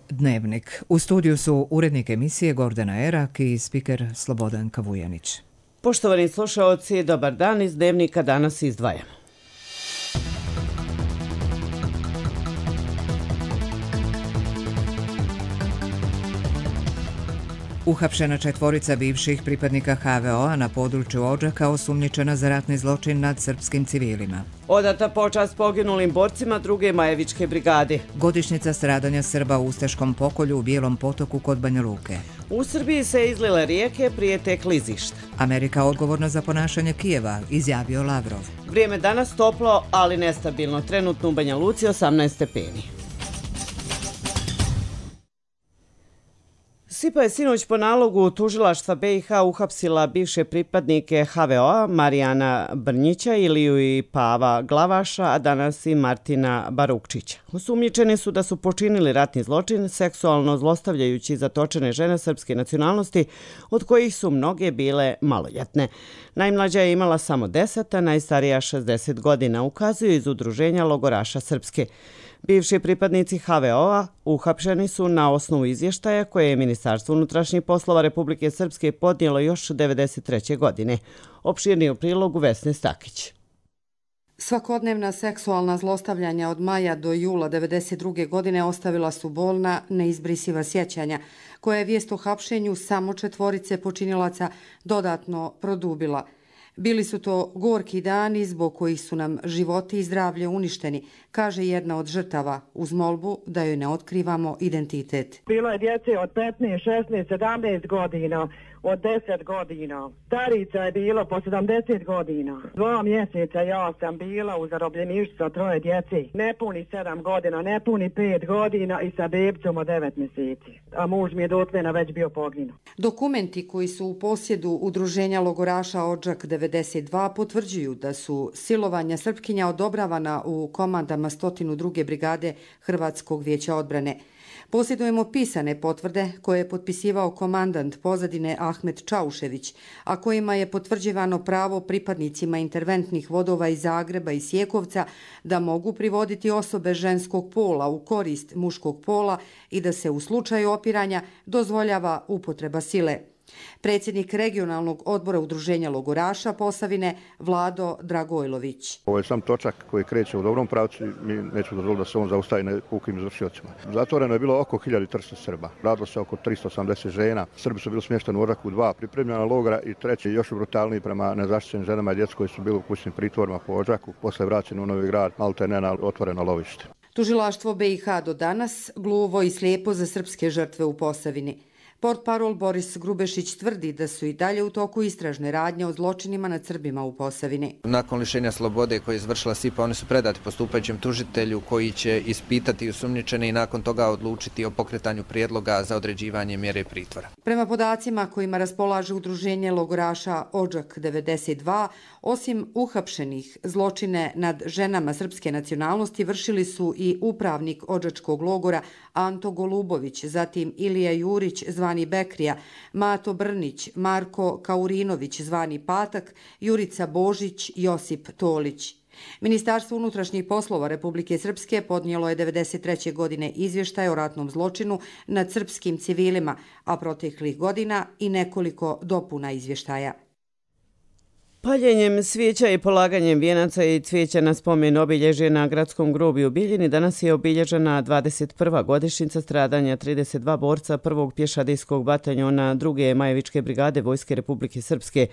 Dnevnik. U studiju su urednik emisije Gordana Erak i spiker Slobodan Kavujanić. Poštovani slušaoci, dobar dan. Iz Dnevnika danas izdvajamo. Uhapšena 4 bivših pripadnika HVO-a na području Odžaka osumnjičena za ratni zločin nad srpskim civilima. Odata počast poginulim borcima 2. Majevičke brigade. Godišnjica stradanja Srba u ustaškom pokolju u Bijelom potoku kod Banja Luke. U Srbiji se izlile rijeke, prijete klizišta. Amerika odgovorna za ponašanje Kijeva, izjavio Lavrov. Vrijeme danas toplo, ali nestabilno. Trenutno u Banja Luci 18 stepeni. SIPA je sinoć po nalogu tužilaštva BiH uhapsila bivše pripadnike HVO-a Marijana Brnjića, Iliju i Pava Glavaša, a danas i Martina Barukčića. Osumnjičeni su da su počinili ratni zločin seksualno zlostavljajući zatočene žene srpske nacionalnosti, od kojih su mnoge bile maloljetne. Najmlađa je imala samo 10, a najstarija 60 godina, ukazuju iz udruženja logoraša Srpske. Bivši pripadnici HVO-a uhapšeni su na osnovu izvještaja koje je Ministarstvo unutrašnjih poslova Republike Srpske podnijelo još 1993. godine. Opširniji u prilogu Vesne Stakić. Svakodnevna seksualna zlostavljanja od maja do jula 1992. godine ostavila su bolna, neizbrisiva sjećanja, koja je vijest o hapšenju samo 4 počinilaca dodatno produbila. Bili su to gorki dani zbog kojih su nam životi i zdravlje uništeni, kaže jedna od žrtava, uz molbu da joj ne otkrivamo identitet. Bilo je djece od 15, 16, 17 godina, od 10 godina. Starica je bilo po 70 godina. 2 mjeseca ja sam bila u zarobljeništvu sa 3 djece. Nepuni 7 godina, nepuni 5 godina i sa bebcom od 9 mjeseci. A muž mi je dotlena već bio poginuo. Dokumenti koji su u posjedu udruženja logoraša Odžak 92 potvrđuju da su silovanja Srpkinja odobravana u komandama 102. brigade Hrvatskog vijeća odbrane. Posjedujemo pisane potvrde koje je potpisivao komandant pozadine Ahmet Čaušević, a kojima je potvrđivano pravo pripadnicima interventnih vodova iz Zagreba i Sjekovca da mogu privoditi osobe ženskog pola u korist muškog pola i da se u slučaju opiranja dozvoljava upotreba sile. Predsjednik regionalnog odbora udruženja logoraša Posavine Vlado Dragojlović. Ovo je sam točak koji kreće u dobrom pravcu i mi nećemo dozvoliti da se on zaustavi na pukim izvršiocima. Zatvoreno je bilo oko 1300 Srba. Radilo se oko 380 žena. Srbi su bili smješteni u Odžaku 2 pripremljena logora i 3. još brutalniji prema nezaštićenim ženama i djeci koji su bili u kućnim pritvorima po Odžaku, posle vraćeni u Novi Grad, maltene na otvoreno lovište. Tužilaštvo BiH do danas gluvo i slijepo za srpske žrtve u Posavini. Portparol Boris Grubešić tvrdi da su i dalje u toku istražne radnje o zločinima nad Srbima u Posavini. Nakon lišenja slobode koje je izvršila SIPA, oni su predati postupajućem tužitelju koji će ispitati osumnjičene i nakon toga odlučiti o pokretanju prijedloga za određivanje mjere pritvora. Prema podacima kojima raspolaže udruženje logoraša Odžak 92, osim uhapšenih, zločine nad ženama srpske nacionalnosti vršili su i upravnik Odžačkog logora Anto Golubović, zatim Ilija Jurić zvani Bekrija, Mato Brnić, Marko Kaurinović zvani Patak, Jurica Božić, Josip Tolić. Ministarstvo unutrašnjih poslova Republike Srpske podnijelo je 1993. godine izvještaj o ratnom zločinu nad srpskim civilima, a proteklih godina i nekoliko dopuna izvještaja. Paljenjem svijeća i polaganjem vijenaca i cvijeća na spomen obilježje na gradskom groblju u Bijeljini danas je obilježena 21. godišnjica stradanja 32 borca 1. pješadijskog bataljona 2. Majevičke brigade Vojske Republike Srpske.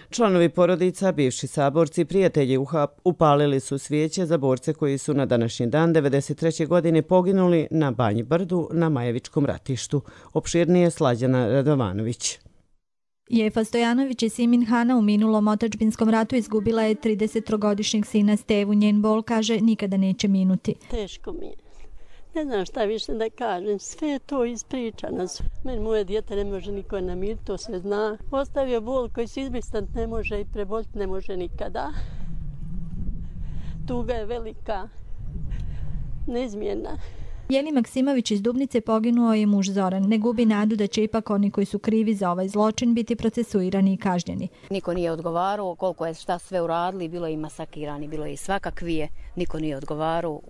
Članovi porodica, bivši saborci, prijatelji upalili su svijeće za borce koji su na današnji dan 1993. godine poginuli na Banji Brdu na Majevičkom ratištu. Opširnije Slađana Radovanović. Jefa Stojanović iz Simin Hana u minulom otadžbinskom ratu izgubila je 30-godišnjeg sina Stevu. Njen bol, kaže, nikada neće minuti. Teško mi je. Ne znam šta više da kažem. Sve je to ispričano. Meni moje dijete ne može niko namiriti, to se zna. Ostavio bol koji se izbrisati ne može i preboljiti ne može nikada. Tuga je velika, neizmjerna. Jeli Maksimović iz Dubnice poginuo je muž Zoran. Ne gubi nadu da će ipak oni koji su krivi za ovaj zločin biti procesuirani i kažnjeni. Niko nije odgovarao koliko je šta sve uradili, bilo je i masakirani, bilo je i svakakvije. Niko nije odgovarao,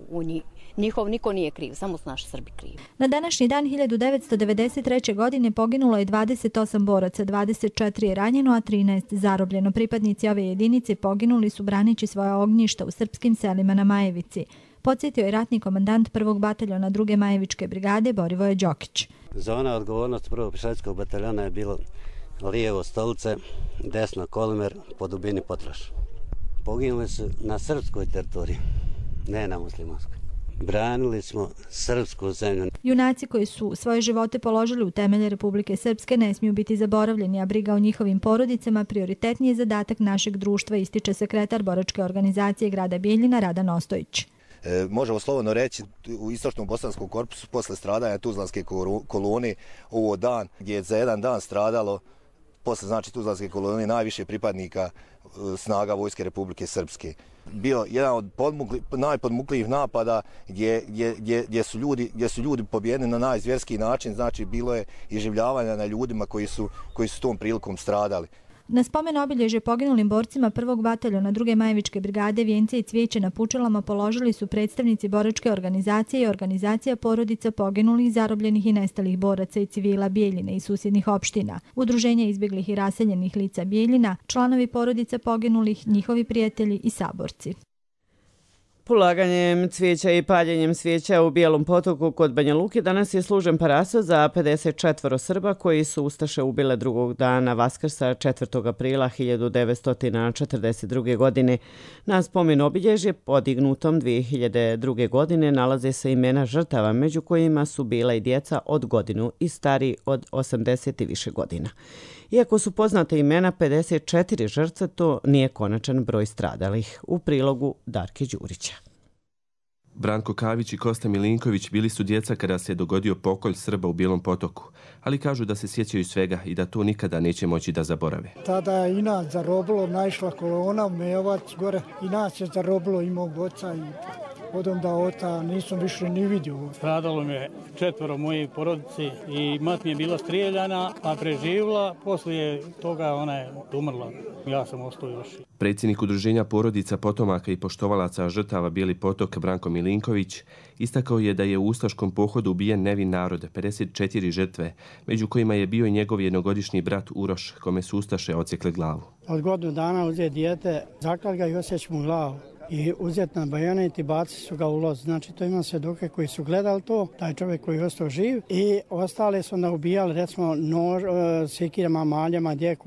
njihov niko nije kriv, samo su naši Srbi krivi. Na današnji dan 1993. godine poginulo je 28 boraca, 24 je ranjeno, a 13 zarobljeno. Pripadnici ove jedinice poginuli su braneći svoja ognjišta u srpskim selima na Majevici. Podsjetio je ratni komandant 1. bataljona 2. Majevičke brigade Borivoje Đokić. Zona odgovornosti 1. pješadijskog bataljona je bilo lijevo Stolice, desno Kolimer, po dubini Potraš. Poginuli su na srpskoj teritoriji, ne na muslimanskoj. Branili smo srpsku zemlju. Junaci koji su svoje živote položili u temelje Republike Srpske ne smiju biti zaboravljeni, a briga o njihovim porodicama prioritetniji je zadatak našeg društva, ističe sekretar boračke organizacije grada Bijeljina Radan Ostojić. Možemo slobodno reći u istočnom bosanskom korpusu posle stradanja Tuzlanske kolone ovo dan gdje je za jedan dan stradalo posle znači Tuzlanske kolone najviše pripadnika snaga Vojske Republike Srpske. Bio jedan od najpodmuklijih napada gdje su ljudi pobijeni na najzvjerskiji način, znači bilo je iživljavanja na ljudima koji su tom prilikom stradali. Na spomen obilježje poginulim borcima 1. bataljona 2. Majevičke brigade vijence i cvijeće na pučalama položili su predstavnici boračke organizacije i organizacija porodica poginulih, zarobljenih i nestalih boraca i civila Bijeljine i susjednih opština, udruženja izbjeglih i raseljenih lica Bijeljina, članovi porodica poginulih, njihovi prijatelji i saborci. Polaganjem cvijeća i paljenjem svijeća u Bijelom Potoku kod Banja Luke danas je služen paraso za 54 Srba koji su ustaše ubile drugog dana Vaskrsa 4. aprila 1942. godine. Na spomen obilježje podignutom 2002. godine nalaze se imena žrtava, među kojima su bila i djeca od godinu i stari od 80 i više godina. Iako su poznate imena 54 žrtve, to nije konačan broj stradalih. U prilogu Darke Đurića. Branko Kavić i Kosta Milinković bili su djeca kada se dogodio pokolj Srba u Bijelom Potoku, ali kažu da se sjećaju svega i da to nikada neće moći da zaborave. Tada je i nas zarobilo, naišla kolona, Mejovac gore, i nas je zarobilo i mog oca i od onda ota nisam više ni vidio. Stradalo mi je 4 moje porodice i mat mi je bila strijeljana, a preživjela, poslije toga ona je umrla. Ja sam ostao još. Predsjednik udruženja porodica potomaka i poštovalaca žrtava Bijeli Potok Branko Milinković istakao je da je u ustaškom pohodu ubijen nevin narod, 54 žrtve, među kojima je bio i njegov jednogodišnji brat Uroš, kome su ustaše odsjekle glavu. Od godinu dana uzeti dijete, zaklali ga i osjeći mu glavu. I uzeti na bajonet i bacili su ga u loz. Znači to ima svjedoke koji su gledali to, taj čovjek koji je ostao živ i ostale su onda ubijali recimo sekirama, maljama, gdje je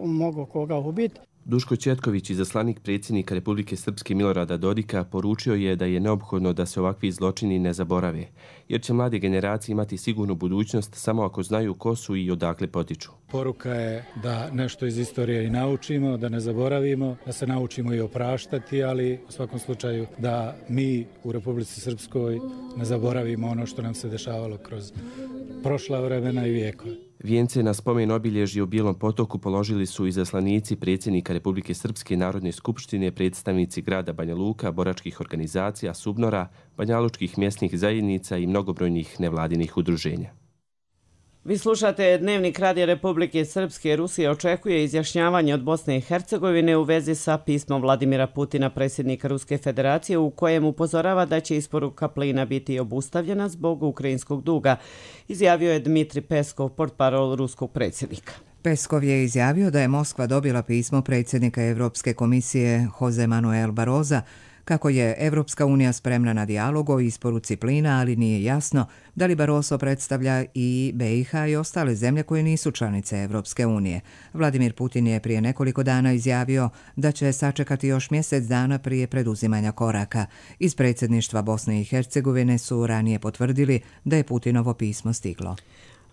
mogao koga ubiti. Duško Četković, izaslanik predsjednika Republike Srpske Milorada Dodika, poručio je da je neophodno da se ovakvi zločini ne zaborave, jer će mlade generacije imati sigurnu budućnost samo ako znaju ko su i odakle potiču. Poruka je da nešto iz istorije i naučimo, da ne zaboravimo, da se naučimo i opraštati, ali u svakom slučaju da mi u Republici Srpskoj ne zaboravimo ono što nam se dešavalo kroz prošla vremena i vijekove. Vijence na spomen obilježje u Bijelom Potoku položili su izaslanici predsjednika Republike Srpske Narodne skupštine, predstavnici grada Banja Luka, boračkih organizacija, Subnora, banjalučkih mjesnih zajednica i mnogobrojnih nevladinih udruženja. Vi slušate Dnevnik Radija Republike Srpske. Rusija očekuje izjašnjavanje od Bosne i Hercegovine u vezi sa pismom Vladimira Putina, predsjednika Ruske federacije, u kojem upozorava da će isporuka plina biti obustavljena zbog ukrajinskog duga, izjavio je Dmitri Peskov, portparol ruskog predsjednika. Peskov je izjavio da je Moskva dobila pismo predsjednika Evropske komisije Jose Manuel Barroza kako je Evropska unija spremna na dijalog o isporuci plina, ali nije jasno da li Barroso predstavlja i BiH i ostale zemlje koje nisu članice Evropske unije. Vladimir Putin je prije nekoliko dana izjavio da će sačekati još mjesec dana prije preduzimanja koraka. Iz predsjedništva Bosne i Hercegovine su ranije potvrdili da je Putinovo pismo stiglo.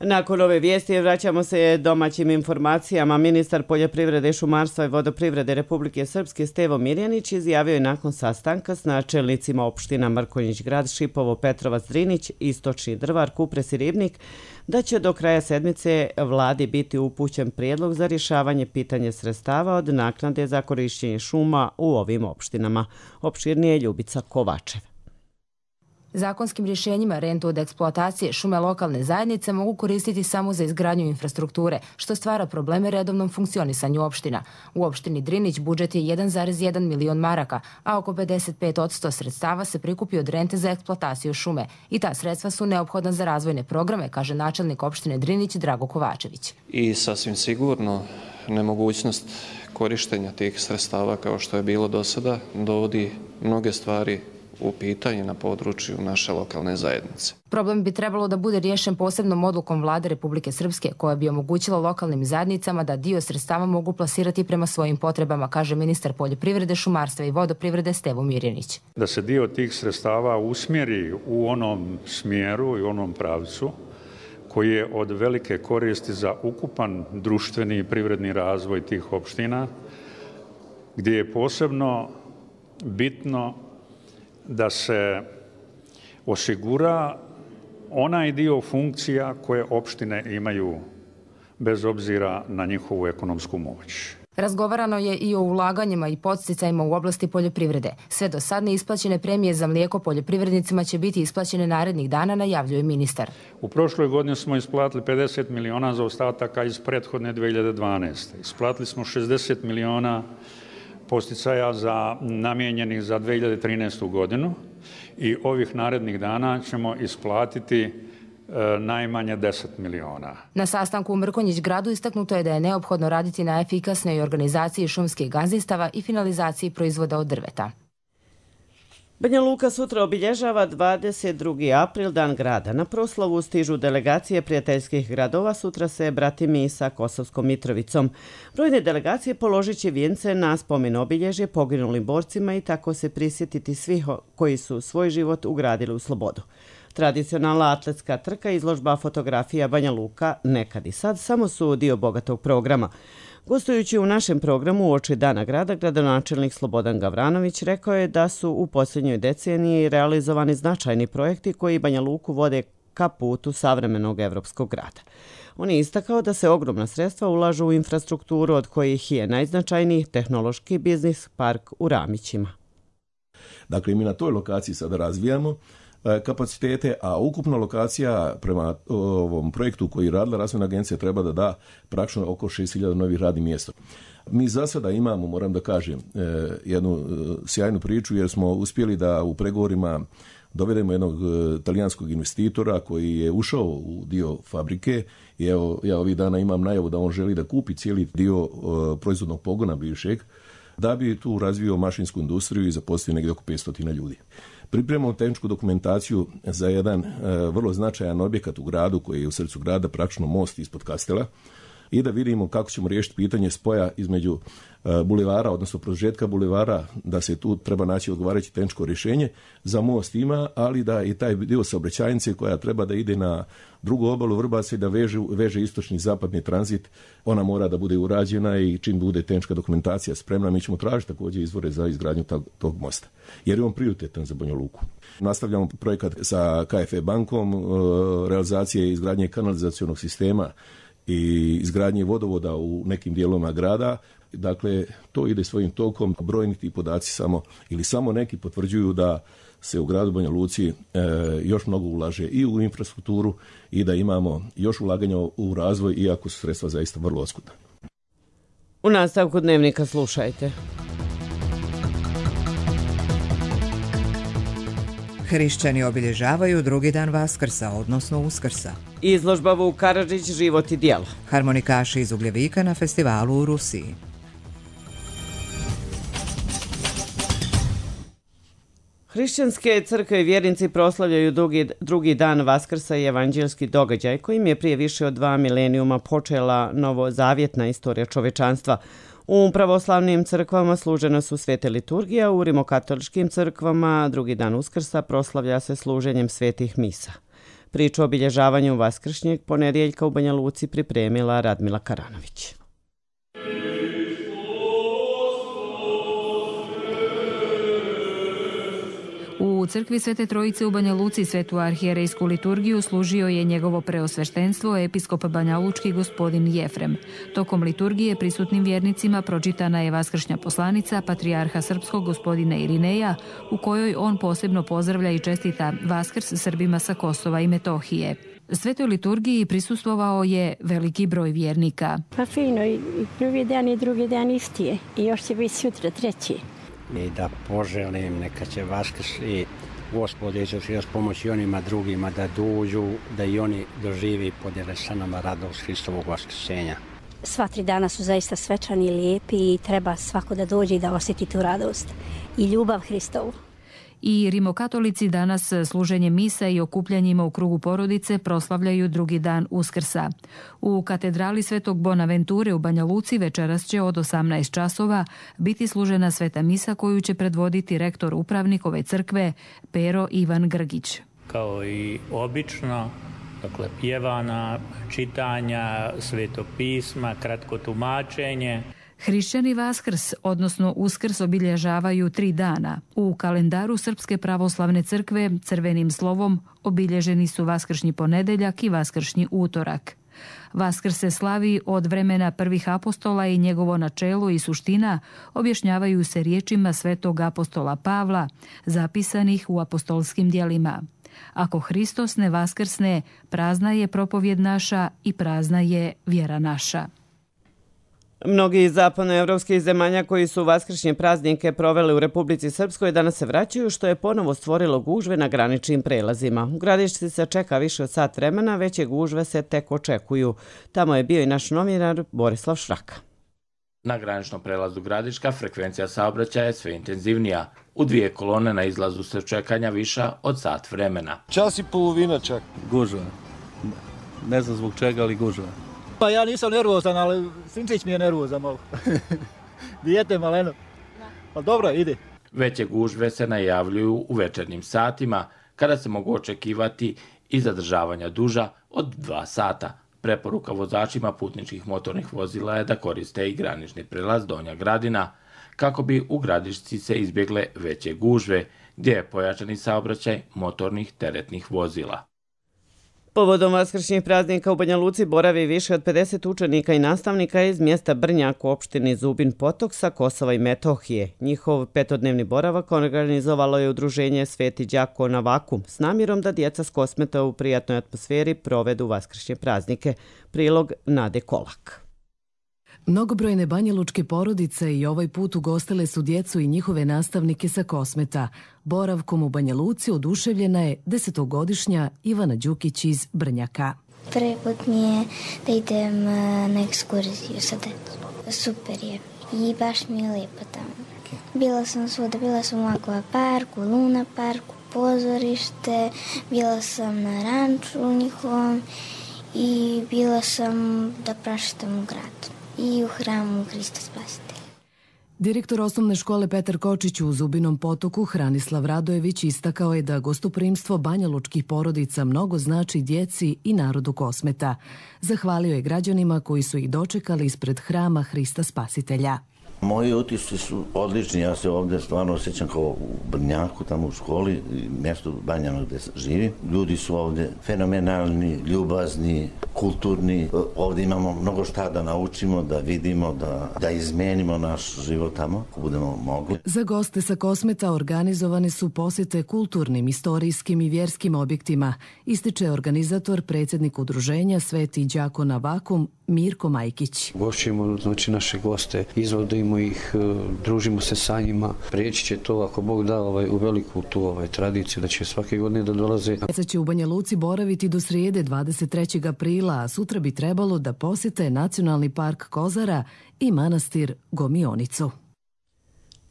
Nakon ove vijesti vraćamo se domaćim informacijama. Ministar poljoprivrede, šumarstva i vodoprivrede Republike Srpske Stevo Mirjanić izjavio je nakon sastanka s načelnicima opština Mrkonjić Grad, Šipovo, Petrovac, Drinić, Istočni Drvar, Kupres i Ribnik da će do kraja sedmice vladi biti upućen prijedlog za rješavanje pitanja sredstava od naknade za korišćenje šuma u ovim opštinama. Opširnije Ljubica Kovačev. Zakonskim rješenjima rentu od eksploatacije šume lokalne zajednice mogu koristiti samo za izgradnju infrastrukture, što stvara probleme redovnom funkcionisanju opština. U opštini Drinić budžet je 1,1 milion maraka, a oko 55% sredstava se prikupi od rente za eksploataciju šume. I ta sredstva su neophodna za razvojne programe, kaže načelnik opštine Drinić Drago Kovačević. I sasvim sigurno nemogućnost korištenja tih sredstava kao što je bilo do sada dovodi mnoge stvari u pitanje na području naše lokalne zajednice. Problem bi trebalo da bude riješen posebnom odlukom Vlade Republike Srpske, koja bi omogućila lokalnim zajednicama da dio sredstava mogu plasirati prema svojim potrebama, kaže ministar poljoprivrede, šumarstva i vodoprivrede Stevo Mirjanić. Da se dio tih sredstava usmjeri u onom smjeru i onom pravcu koji je od velike koristi za ukupan društveni i privredni razvoj tih opština, gdje je posebno bitno da se osigura onaj dio funkcija koje opštine imaju bez obzira na njihovu ekonomsku moć. Razgovarano je i o ulaganjima i podsticajima u oblasti poljoprivrede. Sve do sad neisplaćene premije za mlijeko poljoprivrednicima će biti isplaćene narednih dana, najavljuje ministar. U prošloj godini smo isplatili 50 miliona za ostataka iz prethodne 2012. Isplatili smo 60 miliona posticaja namijenjenih za 2013. godinu i ovih narednih dana ćemo isplatiti najmanje 10 miliona. Na sastanku u Mrkonjić gradu istaknuto je da je neophodno raditi na efikasnoj organizaciji šumskih gazdinstava i finalizaciji proizvoda od drveta. Banja Luka sutra obilježava 22. april, dan grada. Na proslavu stižu delegacije prijateljskih gradova, sutra se bratimi sa Kosovskom Mitrovicom. Brojne delegacije položit će vijence na spomen obilježje poginulim borcima i tako se prisjetiti svih koji su svoj život ugradili u slobodu. Tradicionalna atletska trka, izložba fotografija Banja Luka, nekad i sad, samo su dio bogatog programa. Gostujući u našem programu uoči Dana grada, gradonačelnik Slobodan Gavranović rekao je da su u posljednjoj deceniji realizovani značajni projekti koji Banja Luku vode ka putu savremenog evropskog grada. On je istakao da se ogromna sredstva ulažu u infrastrukturu, od kojih je najznačajniji tehnološki biznis park u Ramićima. Dakle, mi na toj lokaciji sada razvijamo kapacitete, a ukupna lokacija prema ovom projektu koji je radila Razvojna agencija treba da da praktično oko 6.000 novih radnih mjesta. Mi za sada imamo, moram da kažem, jednu sjajnu priču jer smo uspjeli da u pregovorima dovedemo jednog talijanskog investitora koji je ušao u dio fabrike i evo, ja ovih dana imam najavu da on želi da kupi cijeli dio proizvodnog pogona bivšeg da bi tu razvio mašinsku industriju i zaposlio negdje oko 500 ljudi. Pripremamo tehničku dokumentaciju za jedan vrlo značajan objekat u gradu koji je u srcu grada, praktično most ispod Kastela, i da vidimo kako ćemo riješiti pitanje spoja između bulevara, odnosno produžetka bulevara, da se tu treba naći odgovarajuće tehničko rješenje. Za most ima, ali da i taj dio saobraćajnice koja treba da ide na drugu obalu Vrbaca i da veže istočni i zapadni tranzit, ona mora da bude urađena i čim bude tehnička dokumentacija spremna, mi ćemo tražiti također izvore za izgradnju tog mosta, jer je on prioritetan za Banja Luku. Nastavljamo projekat sa KFE bankom, realizacije izgradnje kanalizacionog sistema i izgradnje vodovoda u nekim dijelovima grada. Dakle, to ide svojim tokom. Brojni ti podaci samo neki potvrđuju da se u gradu Banja Luci još mnogo ulaže i u infrastrukturu i da imamo još ulaganja u razvoj, iako su sredstva zaista vrlo oskudna. U nastavku dnevnika slušajte. Hrišćani obilježavaju drugi dan Vaskrsa, odnosno Uskrsa. Izložba Vuk Karadžić, život i djelo. Harmonikaši iz Ugljevika na festivalu u Rusiji. Hrišćanske crkve i vjernici proslavljaju drugi dan Vaskrsa i evanđelski događaj kojim je prije više od 2 milenijuma počela novozavjetna istorija čovečanstva. U pravoslavnim crkvama služena su svete liturgije, u rimokatoličkim crkvama drugi dan Uskrsa proslavlja se služenjem svetih misa. Priču o obilježavanju vaskršnjeg ponedjeljka u Banja Luci pripremila Radmila Karanović. U U crkvi Svete Trojice u Banja Luci svetu arhijerejsku liturgiju služio je njegovo preosveštenstvo episkop banjalučki gospodin Jefrem. Tokom liturgije prisutnim vjernicima pročitana je vaskršnja poslanica patrijarha srpskog gospodina Irineja, u kojoj on posebno pozdravlja i čestita Vaskrs Srbima sa Kosova i Metohije. Svetoj liturgiji prisustvovao je veliki broj vjernika. Pa fino, i prvi dan i drugi dan isti je. I još će biti sutra treći. I da poželim, neka će Vaskrs i Gospod Isus još pomoći onima drugima da dođu, da i oni doživi i podijele sa nama radost Hristovog vaskrsenja. Sva 3 dana su zaista svečani i lijepi i treba svako da dođe i da osjeti tu radost i ljubav Hristovu. I rimokatolici danas služenjem misa i okupljanjima u krugu porodice proslavljaju drugi dan Uskrsa. U katedrali Svetog Bonaventure u Banja Luci večeras će od 18 časova biti služena sveta misa koju će predvoditi rektor upravnik ove crkve Pero Ivan Grgić. Kao i obično, dakle pjevana, čitanja, sveto pisma, kratko tumačenje. Hrišćani Vaskrs, odnosno Uskrs, obilježavaju 3 dana. U kalendaru Srpske pravoslavne crkve crvenim slovom obilježeni su Vaskršnji ponedeljak i Vaskršnji utorak. Vaskrs se slavi od vremena prvih apostola i njegovo načelo i suština objašnjavaju se riječima svetog apostola Pavla, zapisanih u apostolskim djelima. Ako Hristos ne vaskrsne, prazna je propovjed naša i prazna je vjera naša. Mnogi iz zapadnoevropskih zemalja koji su vaskršnje praznike proveli u Republici Srpskoj danas se vraćaju, što je ponovo stvorilo gužve na graničnim prelazima. U Gradišci se čeka više od sat vremena, veće gužve se tek očekuju. Tamo je bio i naš novinar Borislav Šraka. Na graničnom prelazu Gradiška frekvencija saobraćaja je sve intenzivnija. U 2 kolone na izlazu se čekanja viša od sat vremena. Čas i polovina čak. Gužva. Ne znam zbog čega, ali gužva. Pa ja nisam nervozan, ali Sinčić mi je nervozan malo. Dijete maleno. Ali dobro, ide. Veće gužve se najavljuju u večernjim satima, kada se mogu očekivati i zadržavanja duža od 2 sata. Preporuka vozačima putničkih motornih vozila je da koriste i granični prelaz Donja Gradina, kako bi u Gradišci se izbjegle veće gužve, gdje je pojačani saobraćaj motornih teretnih vozila. Povodom vaskršnjih praznika u Banja Luci boravi više od 50 učenika i nastavnika iz mjesta Brnjak u opštini Zubin Potok sa Kosova i Metohije. Njihov 5-dnevni boravak organizovalo je udruženje Sveti đako na Vakum s namjerom da djeca s Kosmeta u prijatnoj atmosferi provedu vaskršnje praznike. Prilog Nade Kolak. Mnogobrojne banjalučke porodice i ovaj put ugostile su djecu i njihove nastavnike sa Kosmeta. Boravkom u Banja Luci oduševljena je 10-godišnja Ivana Đukić iz Brnjaka. Prvi put mi je da idem na ekskurziju sa decom. Super je i baš mi je lijepo tamo. Bila sam svuda, bila sam u Aqua parku, Luna parku, pozorište, bila sam na ranču njihovom i bila sam da praštam u gradu i u hramu Hrista Spasitelja. Direktor osnovne škole Petar Kočić u Zubinom Potoku Hranislav Radojević istakao je da gostoprimstvo banjalučkih porodica mnogo znači djeci i narodu Kosmeta. Zahvalio je građanima koji su ih dočekali ispred hrama Hrista Spasitelja. Moji utisci su odlični, ja se ovdje stvarno osjećam kao u Brnjaku, tamo u školi, mjestu Banjano gdje živim. Ljudi su ovdje fenomenalni, ljubazni, kulturni. Ovdje imamo mnogo šta da naučimo, da vidimo, da izmenimo naš život tamo, ako budemo mogli. Za goste sa Kosmeta organizovane su posjete kulturnim, istorijskim i vjerskim objektima, ističe organizator, predsjednik udruženja Sveti đako na Vakum Mirko Majkić. Gošćujemo znači naše goste, izvodimo ih, družimo se sa njima. Prijeći će to, ako Bog da, u veliku tu tradiciju, da će svake godine da dolaze. Djeca će u Banja Luci boraviti do srijede 23. aprila, a sutra bi trebalo da posjete Nacionalni park Kozara i manastir Gomionicu.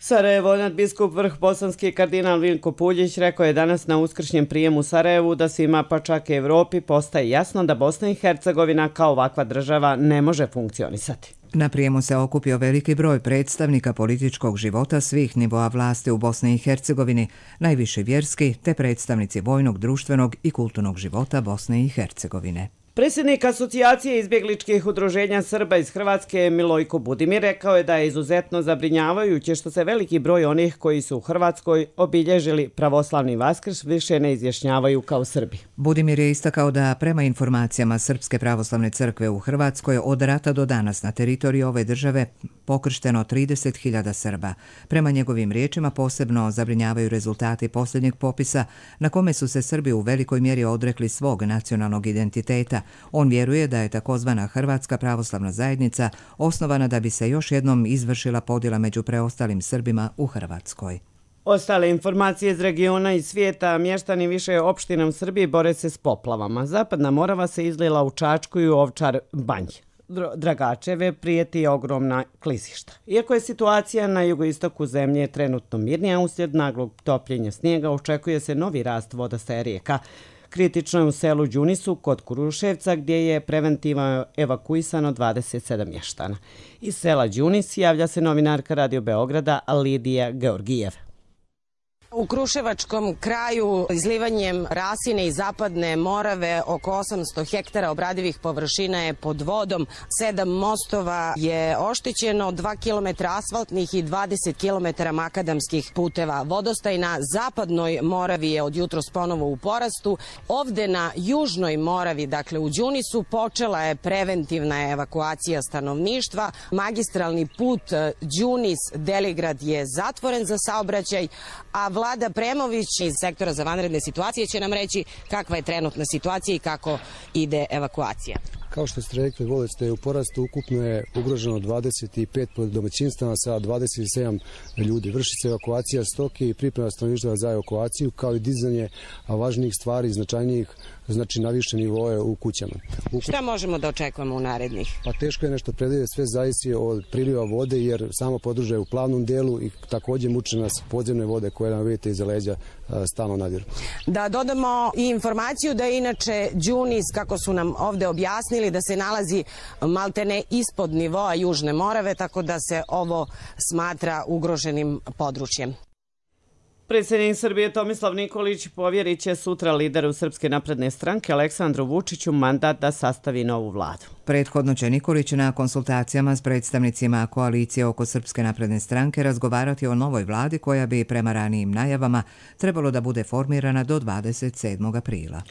Sarajevo, nadbiskup vrh bosanski kardinal Vinko Puljić rekao je danas na uskršnjem prijemu u Sarajevu da svima, pa čak i Evropi, postaje jasno da Bosna i Hercegovina kao ovakva država ne može funkcionisati. Na prijemu se okupio veliki broj predstavnika političkog života svih nivoa vlasti u Bosni i Hercegovini, najviše vjerski te predstavnici vojnog, društvenog i kulturnog života Bosne i Hercegovine. Predsjednik Asocijacije izbjegličkih udruženja Srba iz Hrvatske Milojko Budimir rekao je da je izuzetno zabrinjavajuće što se veliki broj onih koji su u Hrvatskoj obilježili pravoslavni Vaskrs više ne izjašnjavaju kao Srbi. Budimir je istakao da prema informacijama Srpske pravoslavne crkve u Hrvatskoj od rata do danas na teritoriji ove države pokršteno 30.000 Srba. Prema njegovim riječima posebno zabrinjavaju rezultati posljednjeg popisa na kome su se Srbi u velikoj mjeri odrekli svog nacionalnog identiteta. On vjeruje da je takozvana Hrvatska pravoslavna zajednica osnovana da bi se još jednom izvršila podjela među preostalim Srbima u Hrvatskoj. Ostale informacije iz regiona i svijeta, mještani više opština u Srbiji bore se s poplavama. Zapadna Morava se izlila u Čačku i u Ovčar Banj. Dragačeve prijeti ogromna klizišta. Iako je situacija na jugoistoku zemlje trenutno mirnija, uslijed naglog topljenja snijega očekuje se novi rast vodostaja rijeka. Kritično je u selu Đunisu kod Kuruševca gdje je preventivno evakuisano 27 mještana. Iz sela Đunis javlja se novinarka Radio Beograda Lidija Georgijev. U Kruševačkom kraju izlivanjem Rasine i Zapadne Morave oko 800 hektara obradivih površina je pod vodom, 7 mostova je oštećeno, 2 km asfaltnih i 20 km makadamskih puteva. Vodostaj na Zapadnoj Moravi je od jutros ponovo u porastu. Ovde na Južnoj Moravi, dakle u Đunisu, počela je preventivna evakuacija stanovništva. Magistralni put Đunis-Deligrad je zatvoren za saobraćaj, a Vlada Premović iz sektora za vanredne situacije će nam reći kakva je trenutna situacija i kako ide evakuacija. Kao što ste rekli, vodostaj je u porastu, ukupno je ugroženo 25 domaćinstava sa 27 ljudi. Vrši se evakuacija stoke i priprema stanovništva za evakuaciju, kao i dizanje važnijih stvari i značajnijih, znači na više nivoje u kućama. Šta možemo da očekujemo u narednih? Pa teško je nešto predvidjeti, sve zavisi od priliva vode, jer samo područje je u plavnom delu i također muče nas podzemne vode koje nam vidite iza leđa stalno nadiru. Da dodamo i informaciju da je inače Đunis, kako su nam ovde objasnili, da se nalazi maltene ispod nivoa Južne Morave, tako da se ovo smatra ugroženim područjem. Predsjednik Srbije Tomislav Nikolić povjerit će sutra lideru Srpske napredne stranke Aleksandru Vučiću mandat da sastavi novu vladu. Prethodno će Nikolić na konsultacijama s predstavnicima koalicije oko Srpske napredne stranke razgovarati o novoj vladi koja bi prema ranijim najavama trebalo da bude formirana do 27. aprila.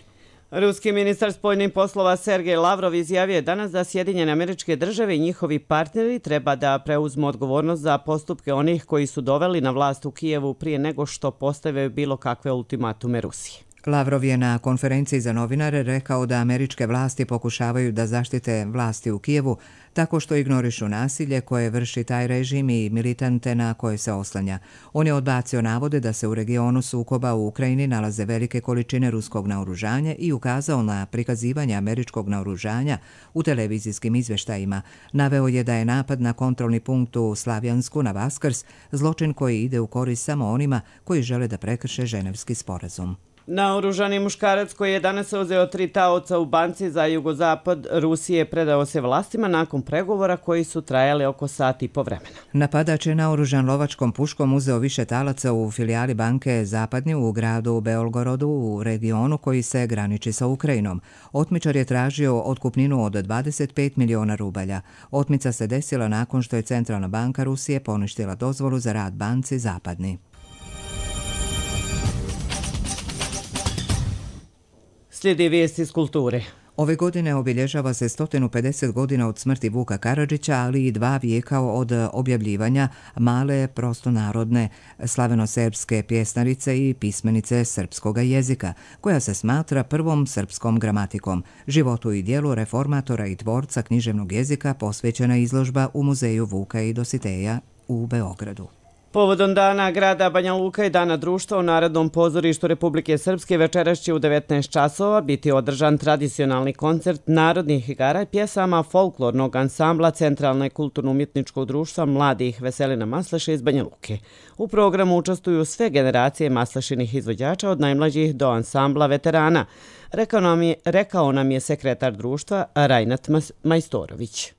Ruski ministar spoljnih poslova Sergej Lavrov izjavio je danas da Sjedinjene Američke Države i njihovi partneri treba da preuzmu odgovornost za postupke onih koji su doveli na vlast u Kijevu prije nego što postave bilo kakve ultimatume Rusiji. Lavrov je na konferenciji za novinare rekao da američke vlasti pokušavaju da zaštite vlasti u Kijevu tako što ignorišu nasilje koje vrši taj režim i militante na koje se oslanja. On je odbacio navode da se u regionu sukoba u Ukrajini nalaze velike količine ruskog naoružanja i ukazao na prikazivanje američkog naoružanja u televizijskim izvještajima. Naveo je da je napad na kontrolni punkt u Slavjansku na Vaskrs zločin koji ide u korist samo onima koji žele da prekrše Ženevski sporazum. Naoružani muškarac koji je danas uzeo 3 taoca u banci za jugozapad Rusije predao se vlastima nakon pregovora koji su trajali oko sat i po vremena. Napadač je naoružan lovačkom puškom uzeo više talaca u filijali banke Zapadnji u gradu Beolgorodu u regionu koji se graniči sa Ukrajinom. Otmičar je tražio otkupninu od 25 miliona rubalja. Otmica se desila nakon što je Centralna banka Rusije poništila dozvolu za rad banci Zapadni. Slijedi vijesti iz kulture. Ove godine obilježava se 150 godina od smrti Vuka Karadžića, ali i 2 vijeka od objavljivanja male prostonarodne slaveno-serbske pjesnarice i pismenice srpskog jezika, koja se smatra prvom srpskom gramatikom. Životu i dijelu reformatora i tvorca književnog jezika posvećena izložba u Muzeju Vuka i Dositeja u Beogradu. Povodom dana grada Banja Luka i dana društva u Narodnom pozorištu Republike Srpske večeras će u 19 časova biti održan tradicionalni koncert narodnih igara i pjesama folklornog ansambla Centralne kulturno-umjetničkog društva mladih Veselina Masleša iz Banja Luke. U programu učestvuju sve generacije maslešenih izvođača od najmlađih do ansambla veterana, rekao nam je sekretar društva Rajnat Majstorović.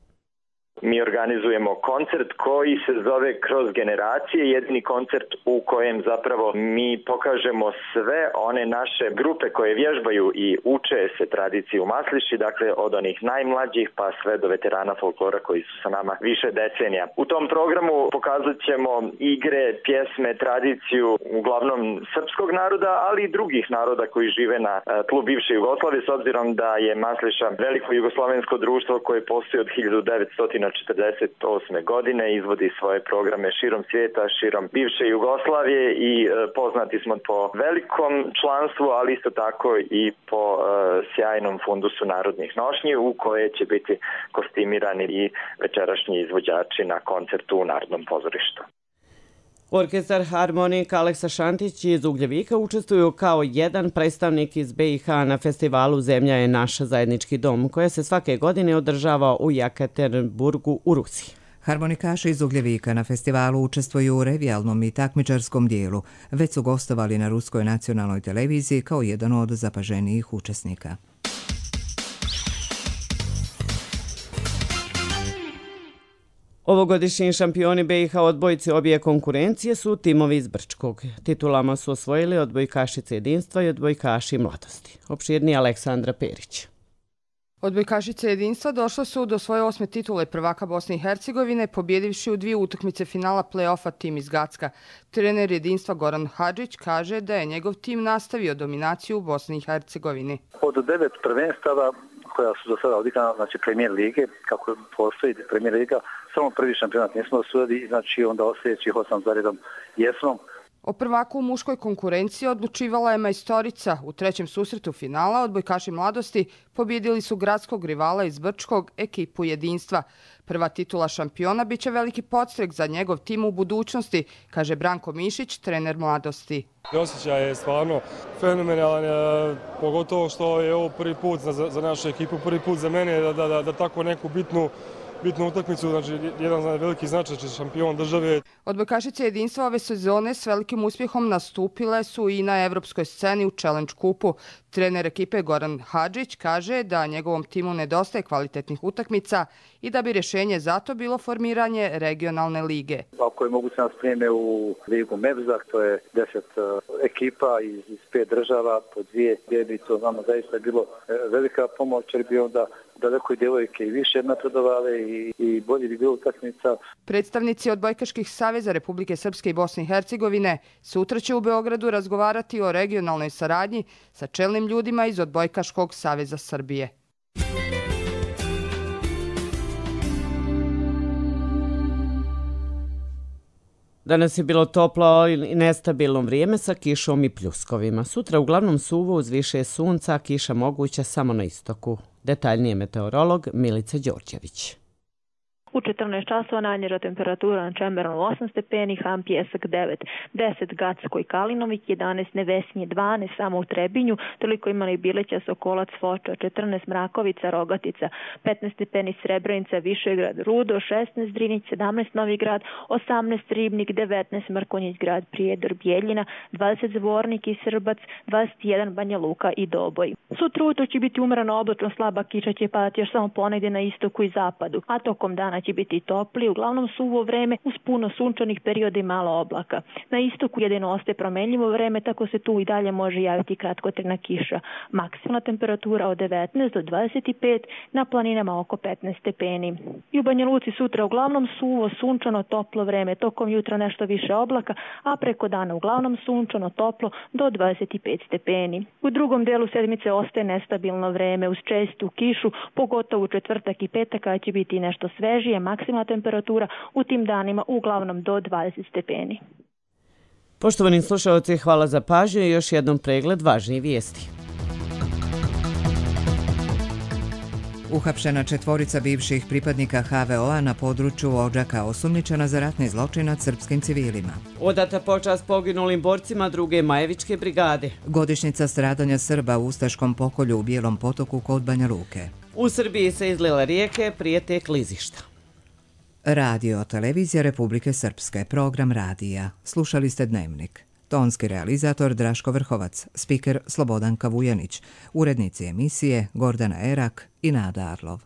mi organizujemo koncert koji se zove Kroz generacije, jedini koncert u kojem zapravo mi pokažemo sve one naše grupe koje vježbaju i uče se tradiciji u Masliši, dakle od onih najmlađih pa sve do veterana folklora koji su sa nama više decenija. U tom programu pokazat ćemo igre, pjesme, tradiciju uglavnom srpskog naroda, ali i drugih naroda koji žive na tlu bivše Jugoslavije, s obzirom da je Masliša veliko jugoslovensko društvo koje postoji od 1948. godine, izvodi svoje programe širom svijeta, širom bivše Jugoslavije i poznati smo po velikom članstvu, ali isto tako i po sjajnom fundusu narodnih nošnji u koje će biti kostimirani i večerašnji izvođači na koncertu u Narodnom pozorištu. Orkestar harmonika Aleksa Šantić iz Ugljevika učestvuju kao jedan predstavnik iz BiH na festivalu Zemlja je naša zajednički dom, koja se svake godine održava u Jekaterinburgu u Rusiji. Harmonikaši iz Ugljevika na festivalu učestvuju u revijalnom i takmičarskom dijelu. Već su gostovali na Ruskoj nacionalnoj televiziji kao jedan od zapaženijih učesnika. Ovogodišnji šampioni BiH odbojci obje konkurencije su timovi iz Brčkog. Titulama su osvojili odbojkašice jedinstva i odbojkaši mladosti. Opširnije Aleksandra Perić. Odbojkašice jedinstva došle su do svoje 8. titule prvaka Bosne i Hercegovine, pobjedivši u 2 utakmice finala play-offa tim iz Gacka. Trener jedinstva Goran Hadžić kaže da je njegov tim nastavio dominaciju u Bosni i Hercegovini. Od 9 prvenstava koja su do sada odigrana, znači premijer lige, kako postoji premijer liga, samo prvi šampionat nismo osvojili, znači onda sljedećih 8 za redom jesmo. O prvaku u muškoj konkurenciji odlučivala je majstorica. U 3. susretu finala odbojkaši mladosti pobjedili su gradskog rivala iz Brčkog, ekipu jedinstva. Prva titula šampiona biće veliki podstrek za njegov tim u budućnosti, kaže Branko Mišić, trener mladosti. Osjećaj je stvarno fenomenalan, pogotovo što je ovo prvi put za našu ekipu, prvi put za mene da tako neku bitnu utakmicu, znači jedan veliki značaj, šampion države. Odbojkašice jedinstva ove sezone s velikim uspjehom nastupile su i na evropskoj sceni u Challenge kupu. Trener ekipe Goran Hadžić kaže da njegovom timu nedostaje kvalitetnih utakmica i da bi rješenje za to bilo formiranje regionalne lige. Ako je moguće nas prijeme u ligu Mevzak, to je 10 ekipa iz 5 država, po 2 gdje to znamo zaista je bilo velika pomoć, jer bi onda daleko i djevojke i više napredovale i bolje bi bilo utakmica. Predstavnici odbojkaških saveza Republike Srpske i Bosne i Hercegovine sutra će u Beogradu razgovarati o regionalnoj saradnji sa čelnim ljudima iz Odbojkaškog saveza Srbije. Danas je bilo toplo i nestabilno vrijeme sa kišom i pljuskovima. Sutra uglavnom suvo uz više sunca, kiša moguća samo na istoku. Detaljnije meteorolog Milica Đorđević. U 14 časova najniža temperatura na Čemberanu 8 stepeni, Han Pjesak 9, 10 Gacko i Kalinovik, 11 Nevesinje, 12 samo u Trebinju, toliko imali Bileća, Sokolac, Foča, 14 Mrakovica, Rogatica, 15 stepeni Srebrenica, Višegrad, Rudo, 16 Drinić, 17 Novi Grad, 18 Ribnik, 19 Mrkonjić Grad, Prijedor, Bijeljina, 20 Zvornik i Srbac, 21 Banja Luka i Doboj. Sutra ujutro će biti umereno oblačno, slaba kiša će padati još samo ponegdje na istoku i zapadu, a tokom dana će biti topli, uglavnom suvo vreme uz puno sunčanih perioda i malo oblaka. Na istoku jedino ostaje promenljivo vreme, tako se tu i dalje može javiti kratkotrajna kiša. Maksimalna temperatura od 19 do 25, na planinama oko 15 stepeni. I u Banja Luci sutra uglavnom suvo, sunčano, toplo vreme, tokom jutra nešto više oblaka, a preko dana uglavnom sunčano, toplo do 25 stepeni. U drugom delu sedmice ostaje nestabilno vreme uz čestu kišu, pogotovo u četvrtak i petak, kada će biti nešto svežije, maksimalna temperatura u tim danima uglavnom do 20 stepeni. Poštovani slušalci, hvala za pažnju i još jednom pregled važnijih vijesti. Uhapšena 4 bivših pripadnika HVO-a na području Odžaka, osumnjičena za ratni zločin nad srpskim civilima. Odata počast poginulim borcima 2. Majevičke brigade. Godišnjica stradanja Srba u ustaškom pokolju u Bijelom Potoku kod Banja Luke. U Srbiji se izlila rijeke prije te klizišta. Radio Televizija Republike Srpske, program radija. Slušali ste Dnevnik. Tonski realizator Draško Vrhovac, spiker Slobodanka Vujanić, urednici emisije Gordana Erak i Nada Arlov.